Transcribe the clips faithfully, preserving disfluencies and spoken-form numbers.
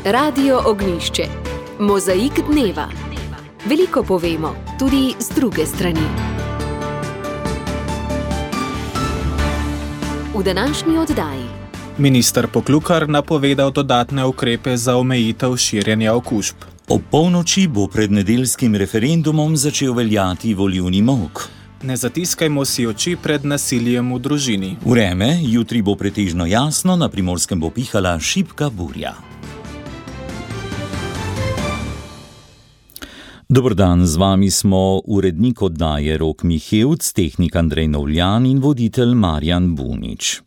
Radio Ognjišče. Mozaik dneva. Veliko povemo, tudi z druge strani. V današnji oddaji. Minister Poklukar napovedal dodatne ukrepe za omejitev širjenja okužb. Ob polnoči bo pred nedeljskim referendumom začel veljati volilni molk. Ne zatiskajmo si oči pred nasiljem v družini. Vreme, jutri bo pretežno jasno, na Primorskem bo pihala šibka burja. Dober dan, z vami smo urednik oddaje Rok Mihevc, tehnik Andrej Novljan in voditelj Marjan Bunič.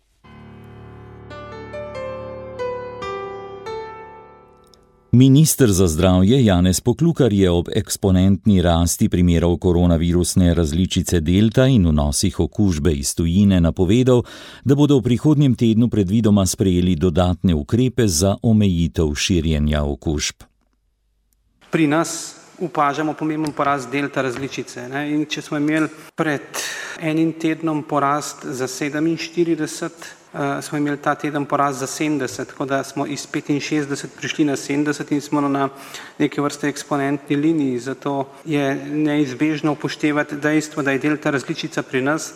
Minister za zdravje Janez Poklukar je ob eksponentni rasti primerov koronavirusne različice delta in vnosih okužbe iz tujine napovedal, da bodo v prihodnjem tednu predvidoma sprejeli dodatne ukrepe za omejitev širjenja okužb. Pri nas opažamo pomemben porast delta različice. Ne? In če smo imeli pred enim tednom porast za sedeminštirideset, Uh, smo imeli ta teden porast za sedemdeset, tako da smo iz petinšestdeset prišli na sedemdeset in smo na neke vrste eksponentni liniji, zato je neizbežno upoštevati dejstvo, da je delta različica pri nas,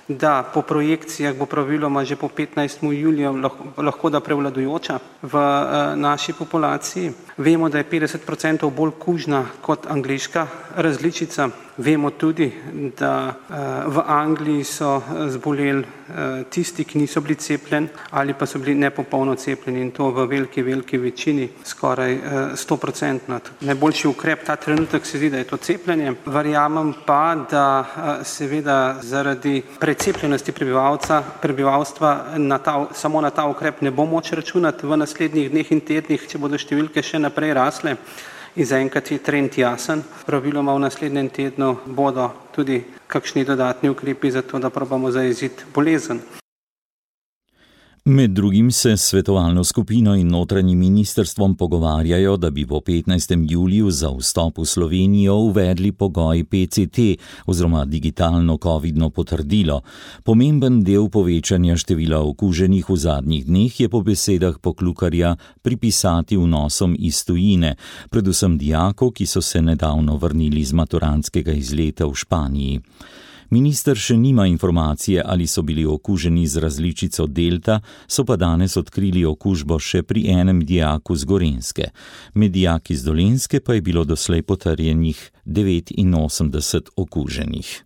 da po projekcijah bo praviloma že po petnajstem juliju lahko, lahko da prevladujoča v uh, naši populaciji. Vemo, da je petdeset procentov bolj kužna kot angleška različica. Vemo tudi, da uh, v Angliji so zboleli uh, tisti, ki niso bili cepljeni ali pa so bili nepopolno cepljeni in to v veliki, veliki večini, skoraj sto procentno. Najboljši ukrep ta trenutek se zdi, da je to cepljenje. Verjamem pa, da uh, seveda zaradi precepljenosti prebivalca, prebivalstva na ta, samo na ta ukrep ne bo moč računati v naslednjih dneh in tednih, če bodo številke še naprej rasle. In zaenkrat je trend jasen. Praviloma v naslednjem tednu bodo tudi kakšni dodatni ukrepi za to, da probamo zajeziti bolezen. Med drugim se s svetovalno skupino in notranjim ministrstvom pogovarjajo, da bi po petnajstem juliju za vstop v Slovenijo uvedli pogoj P C T oziroma digitalno covidno potrdilo. Pomemben del povečanja števila okuženih v zadnjih dneh je po besedah Poklukarja pripisati vnosom iz tujine, predvsem dijakov, ki so se nedavno vrnili z maturantskega izleta v Španiji. Minister še nima informacije, ali so bili okuženi z različico delta, so pa danes odkrili okužbo še pri enem dijaku z Gorenjske. Med dijaki z Dolenjske pa je bilo doslej potrjenih devetinosemdeset okuženih.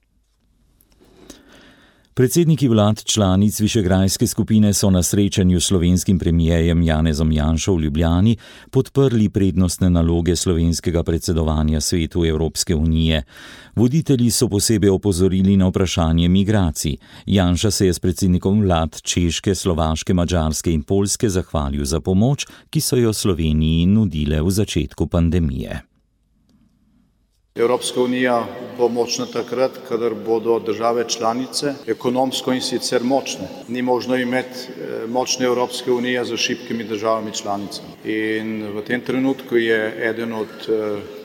Predsedniki vlad članic Višegrajske skupine so na srečanju s slovenskim premijerjem Janezom Janšo v Ljubljani podprli prednostne naloge slovenskega predsedovanja Svetu Evropske unije. Voditelji so posebej opozorili na vprašanje migracij. Janša se je s predsednikom vlad Češke, Slovaške, Madžarske in Poljske zahvalil za pomoč, ki so jo Sloveniji nudile v začetku pandemije. Evropska unija bo močna takrat, kadar bodo države članice ekonomsko in sicer močne. Ni možno imeti močne Evropske unije za šibkimi državami članicami. In v tem trenutku je eden od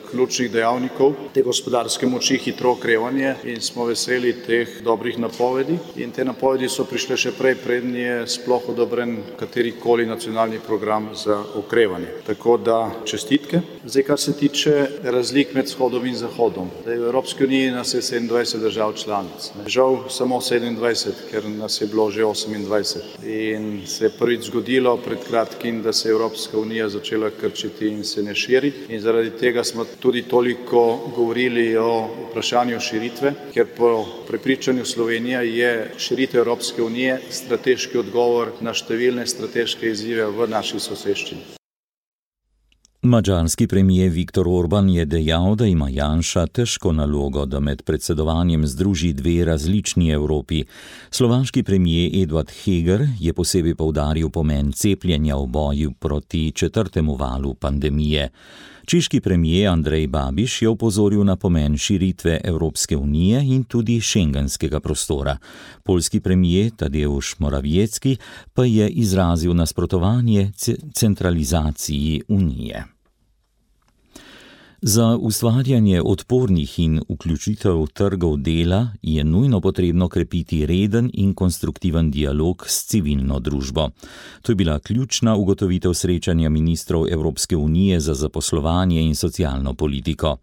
ključnih dejavnikov te gospodarske moči hitro okrevanje in smo veseli teh dobrih napovedi. In te napovedi so prišle še prej, preden je sploh odobren katerikoli nacionalni program za okrevanje. Tako da čestitke. Zdaj, kar se tiče razlik med vzhodom in zahodom. Zdaj, v Evropski uniji nas je sedemindvajset držav članic. Žal samo sedemindvajset, ker nas je bilo že osemindvajset. In se je prvič zgodilo pred kratkim, da se je Evropska unija začela krčiti in se ne širi. In zaradi tega smo tudi toliko govorili o vprašanju širitve, ker po prepričanju Slovenije je širitev Evropske unije strateški odgovor na številne strateške izzive v naši soseščini. Madžarski premier Viktor Orban je dejal, da ima Janša težko nalogo, da med predsedovanjem združi dve različni Evropi. Slovaški premier Eduard Heger je posebej poudaril pomen cepljenja v boju proti četrtemu valu pandemije. Češki premier Andrej Babiš je opozoril na pomen širitve Evropske unije in tudi šengenskega prostora. Poljski premier Tadeusz Morawiecki pa je izrazil nasprotovanje centralizaciji unije. Za ustvarjanje odpornih in vključitev trgov dela je nujno potrebno krepiti reden in konstruktiven dialog s civilno družbo. To je bila ključna ugotovitev srečanja ministrov Evropske unije za zaposlovanje in socialno politiko.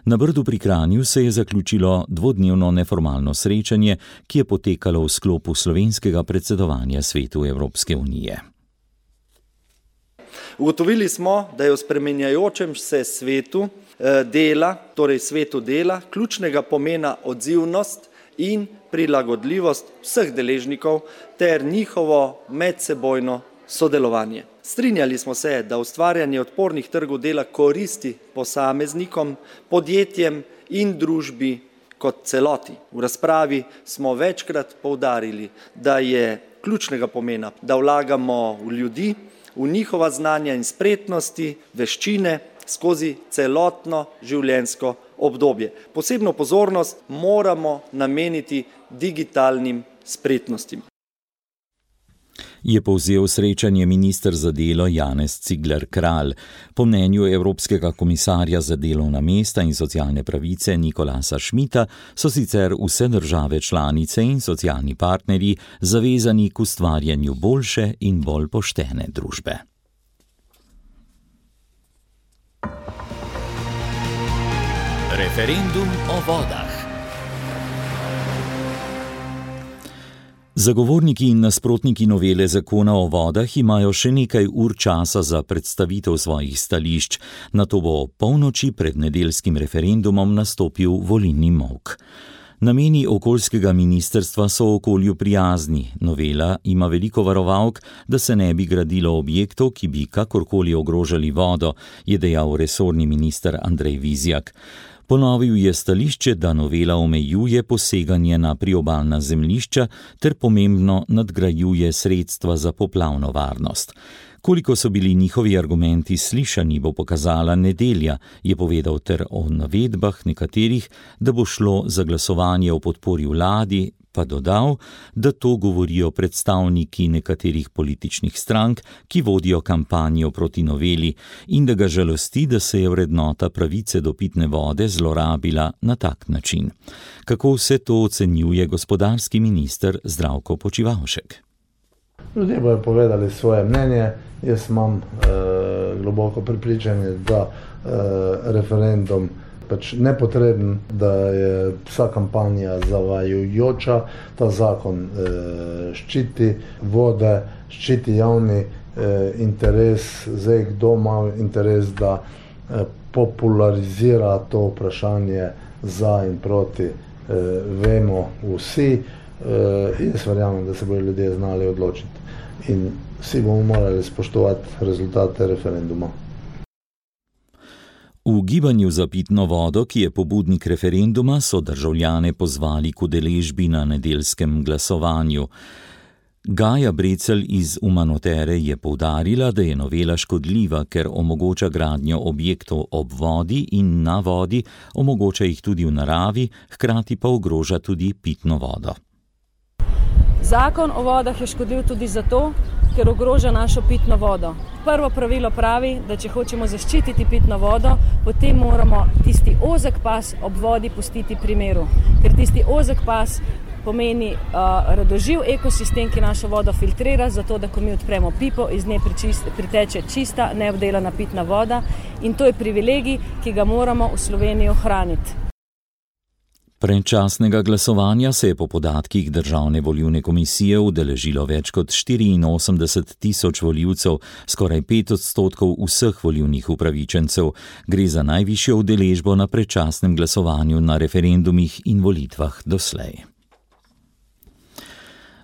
Na Brdu pri Kranju se je zaključilo dvodnevno neformalno srečanje, ki je potekalo v sklopu slovenskega predsedovanja Svetu Evropske unije. Ugotovili smo, da je v spremenjajočem se svetu dela, torej svetu dela, ključnega pomena odzivnost in prilagodljivost vseh deležnikov ter njihovo medsebojno sodelovanje. Strinjali smo se, da ustvarjanje odpornih trgov dela koristi posameznikom, podjetjem in družbi kot celoti. V razpravi smo večkrat poudarili, da je ključnega pomena, da vlagamo v ljudi, v njihova znanja in spretnosti, veščine skozi celotno življenjsko obdobje. Posebno pozornost moramo nameniti digitalnim spretnostim. Je povzel srečanje minister za delo Janez Cigler Kralj. Po mnenju Evropskega komisarja za delovna mesta in socialne pravice Nikolasa Schmidta so sicer vse države članice in socialni partnerji zavezani k ustvarjanju boljše in bolj poštene družbe. Referendum o vodah. Zagovorniki in nasprotniki novele zakona o vodah imajo še nekaj ur časa za predstavitev svojih stališč, nato bo polnoči pred nedeljskim referendumom nastopil volilni molk. Nameni okoljskega ministrstva so okolju prijazni. Novela ima veliko varovalk, da se ne bi gradilo objektov, ki bi kakorkoli ogrožali vodo, je dejal resorni minister Andrej Vizjak. Ponovil je stališče, da novela omejuje poseganje na priobalna zemljišča ter pomembno nadgrajuje sredstva za poplavno varnost. Koliko so bili njihovi argumenti slišani, bo pokazala nedelja, je povedal ter o navedbah nekaterih, da bo šlo za glasovanje o podpori vladi, pa dodal, da to govorijo predstavniki nekaterih političnih strank, ki vodijo kampanjo proti noveli in da ga žalosti, da se je vrednota pravice do pitne vode zlorabila na tak način. Kako vse to ocenjuje gospodarski minister Zdravko Počivalšek? Ljudje bodo povedali svoje mnenje. Jaz imam eh, globoko prepričanje, da eh, referendum pač nepotreben, da je vsa kampanja zavajajoča, ta zakon eh, ščiti vode, ščiti javni eh, interes, zdaj kdo ima interes, da eh, popularizira to vprašanje za in proti, eh, vemo vsi, eh, jaz verjamem, da se bodo ljudje znali odločiti in vsi bomo morali spoštovati rezultate referenduma. V gibanju za pitno vodo, ki je pobudnik referenduma, so državljane pozvali k udeležbi na nedeljskem glasovanju. Gaja Brecelj iz Umanotere je poudarila, da je novela škodljiva, ker omogoča gradnjo objektov ob vodi in na vodi, omogoča jih tudi v naravi, hkrati pa ogroža tudi pitno vodo. Zakon o vodah je škodljiv tudi zato, ker ogroža našo pitno vodo. Prvo pravilo pravi, da če hočemo zaščititi pitno vodo, potem moramo tisti ozek pas ob vodi pustiti pri miru. Ker tisti ozek pas pomeni uh, radoživ ekosistem, ki našo vodo filtrira, zato da ko mi odpremo pipo, iz nje priteče čista, neobdelana pitna voda in to je privilegij, ki ga moramo v Sloveniji ohraniti. Predčasnega glasovanja se je po podatkih Državne volilne komisije udeležilo več kot štiriinosemdeset tisoč volivcev, skoraj pet odstotkov vseh volilnih upravičencev. Gre za najvišjo udeležbo na predčasnem glasovanju na referendumih in volitvah doslej.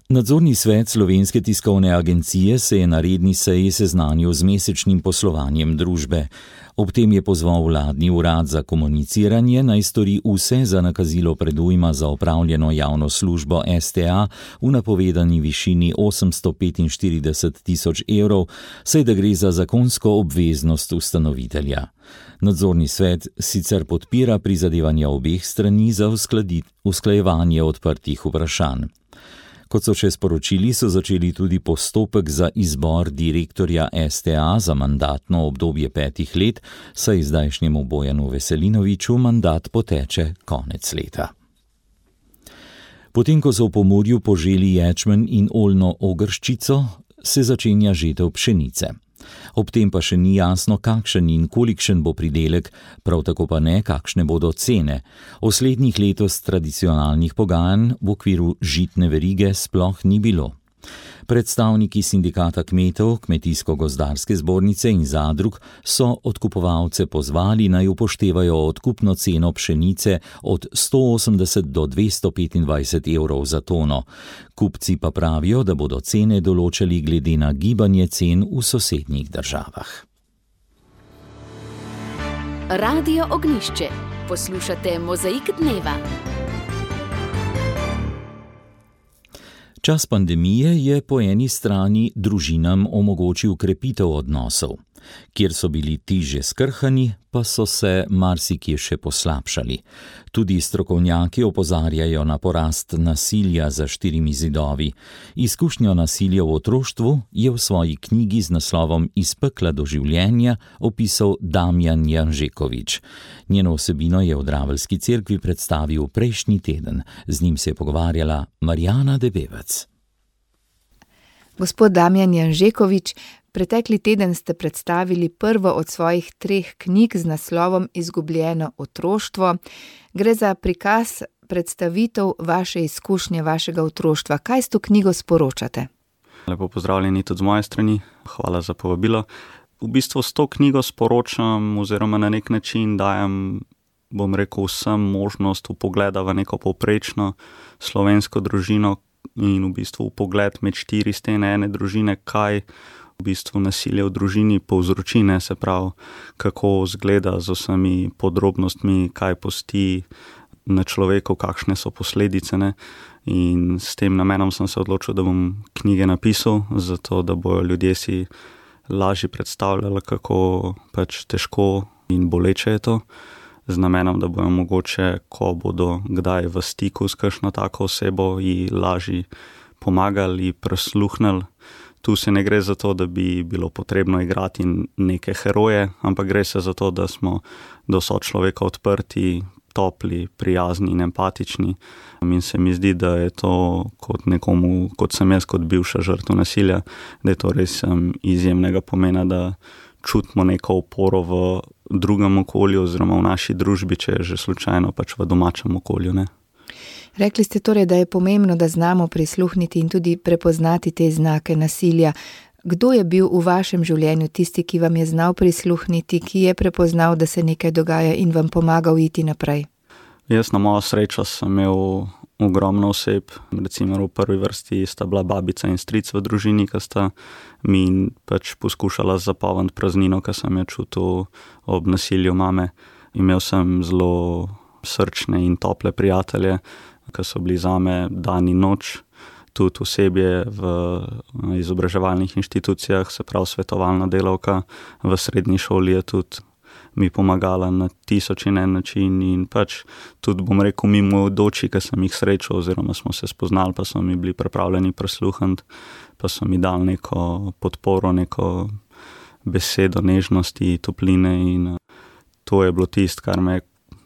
Nadzorni svet Slovenske tiskovne agencije se je na redni seji seznanil z mesečnim poslovanjem družbe. Ob tem je pozval vladni urad za komuniciranje naj stori vse za nakazilo predujma za opravljeno javno službo S T A v napovedani višini osemsto petinštirideset tisoč evrov, saj da gre za zakonsko obveznost ustanovitelja. Nadzorni svet sicer podpira prizadevanja obeh strani za usklajevanje odprtih vprašanj. Kot so še sporočili, so začeli tudi postopek za izbor direktorja S T A za mandatno obdobje petih let, saj zdajšnjemu Bojanu Veselinoviču mandat poteče konec leta. Potem, ko so v Pomurju poželi ječmen in oljno ogrščico, se začenja žetev pšenice. Ob tem pa še ni jasno, kakšen in kolikšen bo pridelek, prav tako pa ne, kakšne bodo cene. O slednjih letos tradicionalnih pogajanj v okviru žitne verige sploh ni bilo. Predstavniki sindikata kmetov, Kmetijsko-gozdarske zbornice in zadrug so odkupovalce pozvali, naj upoštevajo odkupno ceno pšenice od sto osemdeset do dvesto petindvajset evrov za tono. Kupci pa pravijo, da bodo cene določali glede na gibanje cen v sosednjih državah. Radio Ognjišče. Poslušate Mozaik dneva. Čas pandemije je po eni strani družinam omogočil krepitev odnosov. Kjer so bili ti že skrhani, pa so se marsikje še poslabšali. Tudi strokovnjaki opozarjajo na porast nasilja za štirimi zidovi. Izkušnjo nasilja v otroštvu je v svoji knjigi z naslovom Iz pekla do življenja opisal Damjan Janžekovič. Njeno vsebino je v Draveljski cerkvi predstavil prejšnji teden. Z njim se je pogovarjala Marjana Debevec. Gospod Damjan Janžekovič, pretekli teden ste predstavili prvo od svojih treh knjig z naslovom Izgubljeno otroštvo. Gre za prikaz, predstavitev vaše izkušnje, vašega otroštva. Kaj s to knjigo sporočate? Lepo pozdravljeni tudi z moje strani. Hvala za povabilo. V bistvu s to knjigo sporočam oziroma na nek način dajem, bom rekel, vsem možnost vpogleda v neko povprečno slovensko družino in v bistvu vpogled med štiri stene ene družine, kaj v bistvu nasilje v družini povzroči, ne, se pravi, kako zgleda z vsemi podrobnostmi, kaj pusti na človeku, kakšne so posledice, ne. In s tem namenom sem se odločil, da bom knjige napisal, zato da bojo ljudje si lažje predstavljali, kako pač težko in boleče je to, z namenom, da bojo mogoče, ko bodo kdaj v stiku s kakšno tako osebo, ji lažje pomagali, prisluhnili. Tu se ne gre za to, da bi bilo potrebno igrati neke heroje, ampak gre se za to, da smo do sočloveka odprti, topli, prijazni in empatični. In se mi zdi, da je to kot nekomu, kot sem jaz, kot bivša žrtev nasilja, da je to res izjemnega pomena, da čutimo neko oporo v drugem okolju oziroma v naši družbi, če je že slučajno pač v domačem okolju, ne. Rekli ste torej, da je pomembno, da znamo prisluhniti in tudi prepoznati te znake nasilja. Kdo je bil v vašem življenju tisti, ki vam je znal prisluhniti, ki je prepoznal, da se nekaj dogaja in vam pomagal iti naprej? Jaz na mojo srečo sem imel ogromno oseb, recimo v prvi vrsti sta bila babica in stric v družini, ki sta mi pač poskušala zapolniti praznino, ki sem jo čutil ob nasilju mame. Imel sem zelo srčne in tople prijatelje, ki so bili zame dan in noč, tudi osebje v izobraževalnih inštitucijah, se pravi svetovalna delavka v srednji šoli je tudi mi pomagala na tisoč in en način in pač tudi, bom rekel, mimoidoči, ki sem jih srečal oziroma smo se spoznali, pa so mi bili pripravljeni prisluhniti, pa so mi dali neko podporo, neko besedo nežnosti, topline in to je bilo tisto, kar me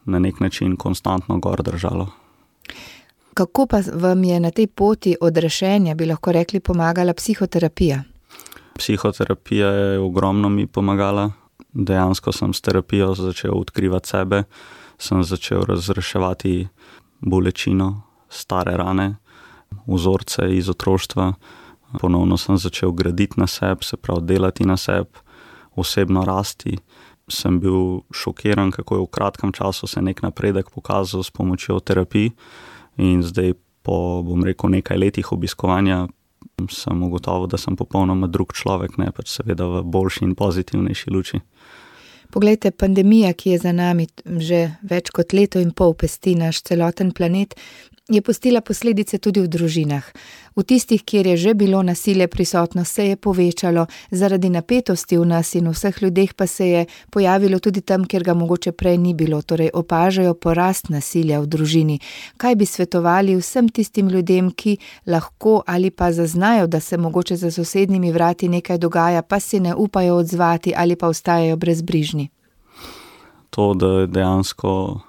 na nek način konstantno gor držalo. Kako pa vam je na tej poti odrešenja, bi lahko rekli, pomagala psihoterapija? Psihoterapija je ogromno mi pomagala. Dejansko sem s terapijo začel odkrivati sebe, sem začel razreševati bolečino, stare rane, vzorce iz otroštva. Ponovno sem začel graditi na sebi, se pravi delati na sebi, osebno rasti. Sem bil šokiran, kako je v kratkem času se nek napredek pokazal s pomočjo terapij in zdaj po, bom rekel, nekaj letih obiskovanja sem ugotovil, da sem popolnoma drug človek, ne pač seveda v boljši in pozitivnejši luči. Poglejte, pandemija, ki je za nami že več kot leto in pol pesti naš celoten planet, je pustila posledice tudi v družinah. V tistih, kjer je že bilo nasilje prisotno, se je povečalo, zaradi napetosti v nas in vseh ljudeh pa se je pojavilo tudi tam, kjer ga mogoče prej ni bilo, torej opažajo porast nasilja v družini. Kaj bi svetovali vsem tistim ljudem, ki lahko ali pa zaznajo, da se mogoče za sosednjimi vrati nekaj dogaja, pa si ne upajo odzvati ali pa ostajajo brezbrižni? To, da je dejansko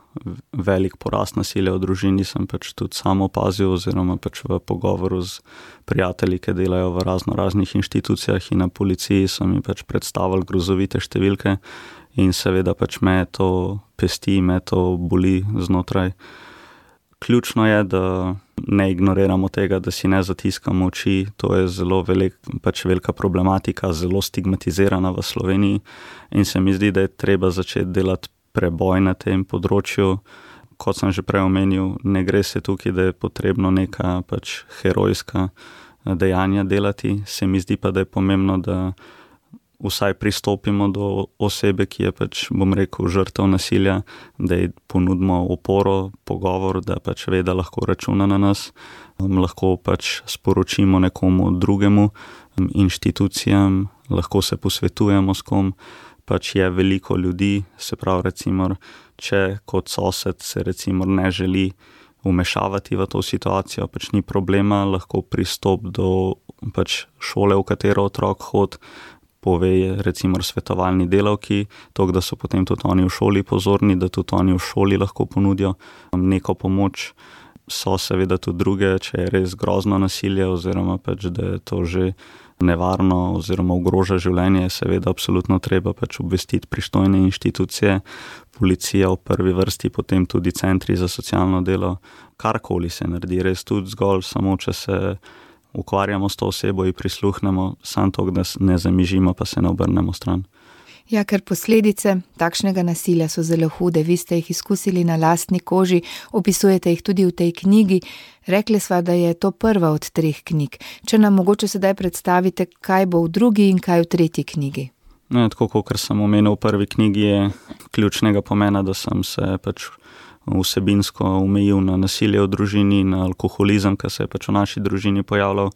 velik porast nasilja v družini, sem pač tudi sam opazil oziroma pač v pogovoru z prijatelji, ki delajo v razno raznih inštitucijah in na policiji, so mi pač predstavili grozovite številke in seveda pač me to pesti, me to boli znotraj. Ključno je, da ne ignoriramo tega, da si ne zatiskamo oči, to je zelo velik, pač velika problematika, zelo stigmatizirana v Sloveniji in se mi zdi, da je treba začeti delati preboj na tem področju. Kot sem že prej omenil, ne gre se tukaj, da je potrebno neka pač herojska dejanja delati, se mi zdi pa, da je pomembno, da vsaj pristopimo do osebe, ki je pač, bom rekel, žrtev nasilja, da ji ponudimo oporo, pogovor, da pač ve, da lahko računa na nas, lahko pač sporočimo nekomu drugemu, inštitucijam, lahko se posvetujemo s kom, pač je veliko ljudi, se pravi recimo, če kot sosed se recimo ne želi vmešavati v to situacijo, pač ni problema, lahko pristop do pač šole, v katero otrok hod, pove recimo svetovalni delavki, to, da so potem tudi oni v šoli pozorni, da tudi oni v šoli lahko ponudijo neko pomoč. So seveda tudi druge, če je res grozno nasilje oziroma pač, da je to že nevarno oziroma ogroža življenje, seveda absolutno treba pač obvestiti pristojne inštitucije, policija v prvi vrsti, potem tudi centri za socialno delo, karkoli se naredi, res tudi zgolj samo, če se ukvarjamo s to osebo in prisluhnemo, samo to, da ne zamižimo, pa se ne obrnemo stran. Ja, ker posledice takšnega nasilja so zelo hude, vi ste jih izkusili na lastni koži, opisujete jih tudi v tej knjigi. Rekli sva, da je to prva od treh knjig. Če nam mogoče sedaj predstavite, kaj bo v drugi in kaj v tretji knjigi. Ne, tako, kot sem omenil v prvi knjigi, je ključnega pomena, da sem se pač vsebinsko omejil na nasilje v družini, na alkoholizem, ki se je pač v naši družini pojavljal,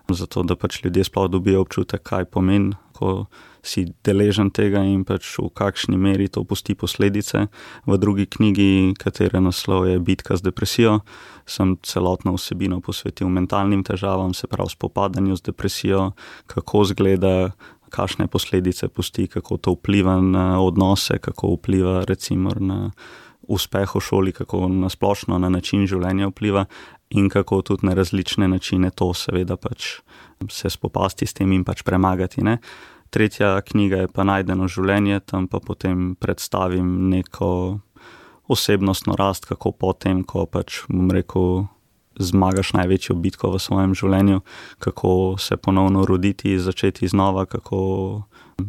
zato da pač ljudje sploh dobijo občutek, kaj pomeni, ko si deležen tega in pač v kakšni meri to pusti posledice. V drugi knjigi, katere naslov je Bitka z depresijo, sem celotno vsebino posvetil mentalnim težavam, se pravi spopadanju z depresijo, kako izgleda, kakšne posledice pusti, kako to vpliva na odnose, kako vpliva recimo na uspeh v šoli, kako nasplošno na način življenja vpliva in kako tudi na različne načine to seveda pač se spopasti s tem in pač premagati, ne. Tretja knjiga je pa Najdeno življenje, tam pa potem predstavim neko osebnostno rast, kako potem, ko pač, bom rekel, zmagaš največjo bitko v svojem življenju, kako se ponovno roditi, začeti znova, kako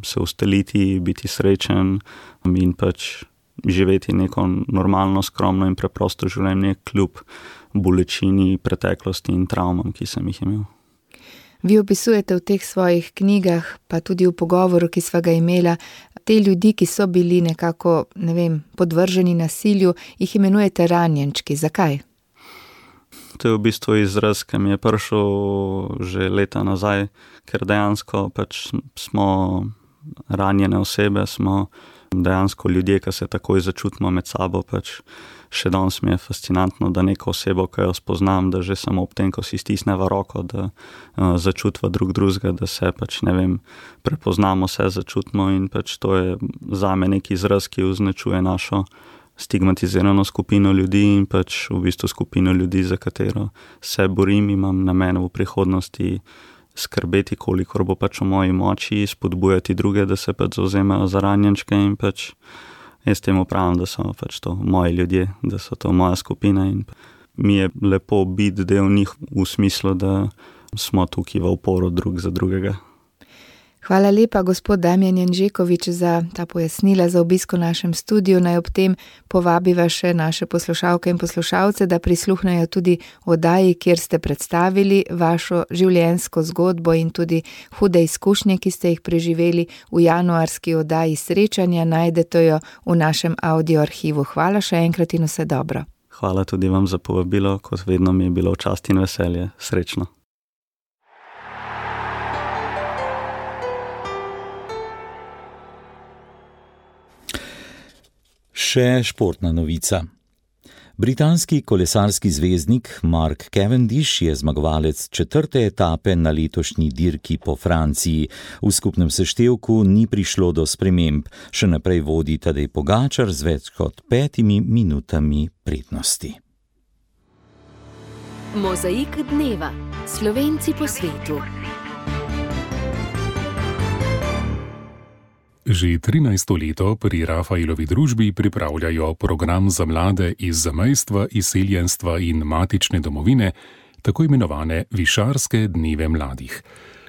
se ustaliti, biti srečen in pač živeti neko normalno, skromno in preprosto življenje kljub bolečini, preteklosti in travmam, ki sem jih imel. Vi opisujete v teh svojih knjigah, pa tudi v pogovoru, ki sva ga imela, te ljudi, ki so bili nekako, ne vem, podvrženi nasilju, jih imenujete ranjenčki. Zakaj? To je v bistvu izraz, ki mi je prišel že leta nazaj, ker dejansko pač smo ranjene osebe, smo dejansko ljudje, ki se takoj začutimo med sabo, pač še danes mi je fascinantno, da neko osebo, ki jo spoznam, da že samo ob tem, ko si stisneva roko, da uh, začutva drug drugega, da se pač, ne vem, prepoznamo se, začutimo in pač to je zame neki izraz, ki označuje našo stigmatizirano skupino ljudi in pač v bistvu skupino ljudi, za katero se borim, imam namen v prihodnosti skrbeti, kolikor bo pač v moji moči, spodbujati druge, da se pač zavzemajo za ranjenčke in pač jaz temu pravim, da so pač to moji ljudje, da so to moja skupina in mi je lepo biti del njih v smislu, da smo tukaj v oporo drug za drugega. Hvala lepa, gospod Damjan Janžekovič, za ta pojasnila, za obisk v našem studiu. Naj ob tem povabiva še naše poslušalke in poslušalce, da prisluhnejo tudi oddaji, kjer ste predstavili vašo življenjsko zgodbo in tudi hude izkušnje, ki ste jih preživeli v januarski oddaji Srečanja. Najdete jo v našem audio arhivu. Hvala še enkrat in vse dobro. Hvala tudi vam za povabilo, kot vedno mi je bilo v čast in veselje. Srečno. Še športna novica. Britanski kolesarski zvezdnik Mark Cavendish je zmagovalec četrte etape na letošnji dirki po Franciji. V skupnem seštevku ni prišlo do sprememb. Še naprej vodi Tadej Pogačar z več kot petimi minutami prednosti. Mozaik dneva. Slovenci po svetu. Že trinajsto leto pri Rafaelovi družbi pripravljajo program za mlade iz zamejstva, izseljenstva in matične domovine, tako imenovane Višarske dneve mladih.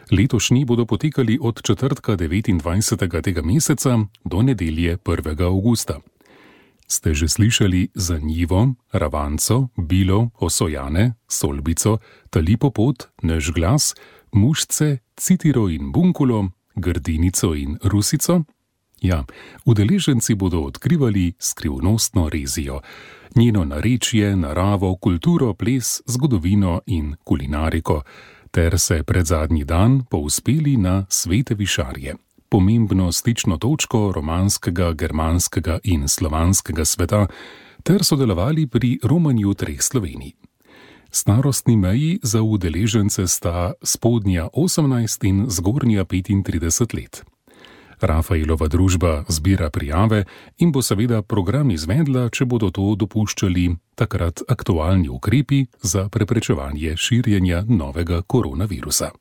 Letošnji bodo potekali od četrtka devetindvajsetega tega meseca do nedelje prvega avgusta. Ste že slišali za Njivo, Ravanco, Bilo, Osojane, Solbico, Talipopot, Naš glas, Mušce, Citiro in Bunkulo, Grdinico in Rusico? Ja, udeleženci bodo odkrivali skrivnostno rezijo, njeno narečje, naravo, kulturo, ples, zgodovino in kulinariko, ter se pred zadnji dan povzpeli na Svete Višarje, pomembno stično točko romanskega, germanskega in slovanskega sveta, ter sodelovali pri romanju treh Slovenij. Starostni meji za udeležence sta spodnja osemnajst in zgornja petintrideset let. Rafaelova družba zbira prijave in bo seveda program izvedla, če bodo to dopuščali takrat aktualni ukrepi za preprečevanje širjenja novega koronavirusa.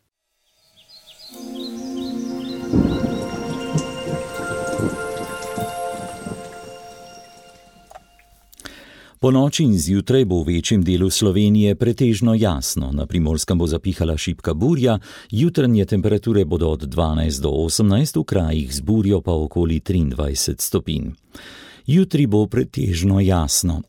Po noči in zjutraj bo v večjem delu Slovenije pretežno jasno, na Primorskem bo zapihala šibka burja, jutranje temperature bodo od dvanajst do osemnajst, v krajih z burjo pa okoli triindvajset stopinj. Jutri bo pretežno jasno.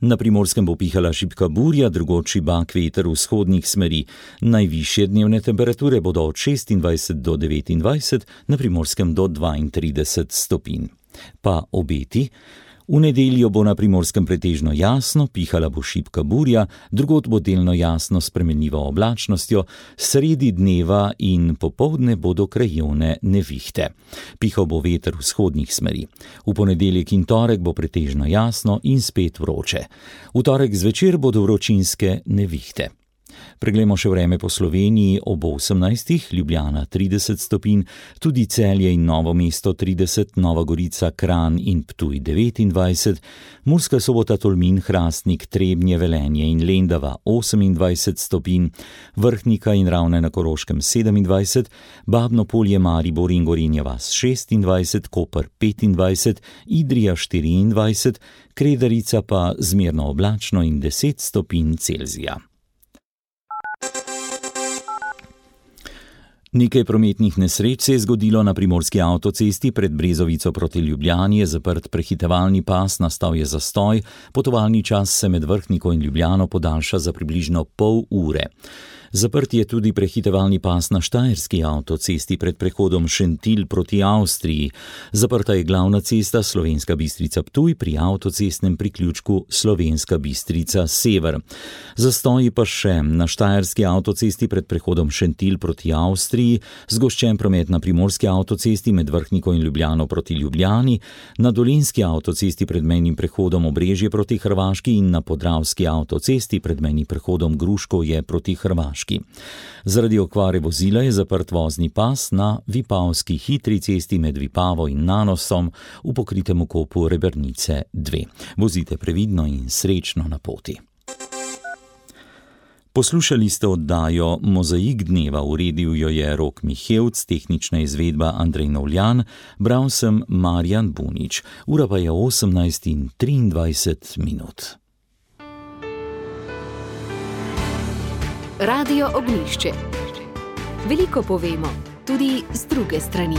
Na Primorskem bo pihala šibka burja, drugod šibak veter vzhodnih smeri. Najvišje dnevne temperature bodo od šestindvajset do devetindvajset, na Primorskem do dvaintrideset stopinj. Pa obeti. V nedeljo bo na Primorskem pretežno jasno, pihala bo šibka burja, drugod bo delno jasno s spremenljivo oblačnostjo, sredi dneva in popoldne bodo krajevne nevihte. Pihal bo veter vzhodnih smeri. V ponedeljek in torek bo pretežno jasno in spet vroče. V torek zvečer bodo vročinske nevihte. Preglejmo še vreme po Sloveniji ob osemnajstih, Ljubljana trideset stopinj, tudi Celje in Novo mesto trideset, Nova Gorica, Kranj in Ptuj devetindvajset, Murska Sobota, Tolmin, Hrastnik, Trebnje, Velenje in Lendava osemindvajset stopinj, Vrhnika in Ravne na Koroškem sedemindvajset, Babno Polje, Maribor in Gorenja vas šestindvajset, Koper petindvajset, Idrija štiriindvajset, Kredarica pa zmerno oblačno in deset stopinj Celzija. Nekaj prometnih nesreč se je zgodilo na primorski avtocesti. Pred Brezovico proti Ljubljani je zaprt prehitevalni pas, nastal je zastoj, potovalni čas se med Vrhniko in Ljubljano podaljša za približno pol ure. Zaprt je tudi prehitevalni pas na štajerski avtocesti pred prehodom Šentilj proti Avstriji. Zaprta je glavna cesta Slovenska Bistrica-Ptuj pri avtocestnem priključku Slovenska Bistrica-Sever. Zastoji pa še na štajerski avtocesti pred prehodom Šentilj proti Avstriji, zgoščen promet na primorski avtocesti med Vrhniko in Ljubljano proti Ljubljani, na dolenjski avtocesti pred mejnim prehodom Obrežje proti Hrvaški in na podravski avtocesti pred mejnim prehodom Gruškovje proti Hrvaški. Zaradi okvare vozila je zaprt vozni pas na Vipavski hitri cesti med Vipavo in Nanosom v pokritem okopu Rebernice dve. Vozite previdno in srečno na poti. Poslušali ste oddajo Mozaik dneva, uredil jo je Rok Mihevc, tehnična izvedba Andrej Novljan, bral sem Marjan Bunič. Ura pa je osemnajst in triindvajset minut. Radio Ognjišče. Veliko povemo, tudi z druge strani.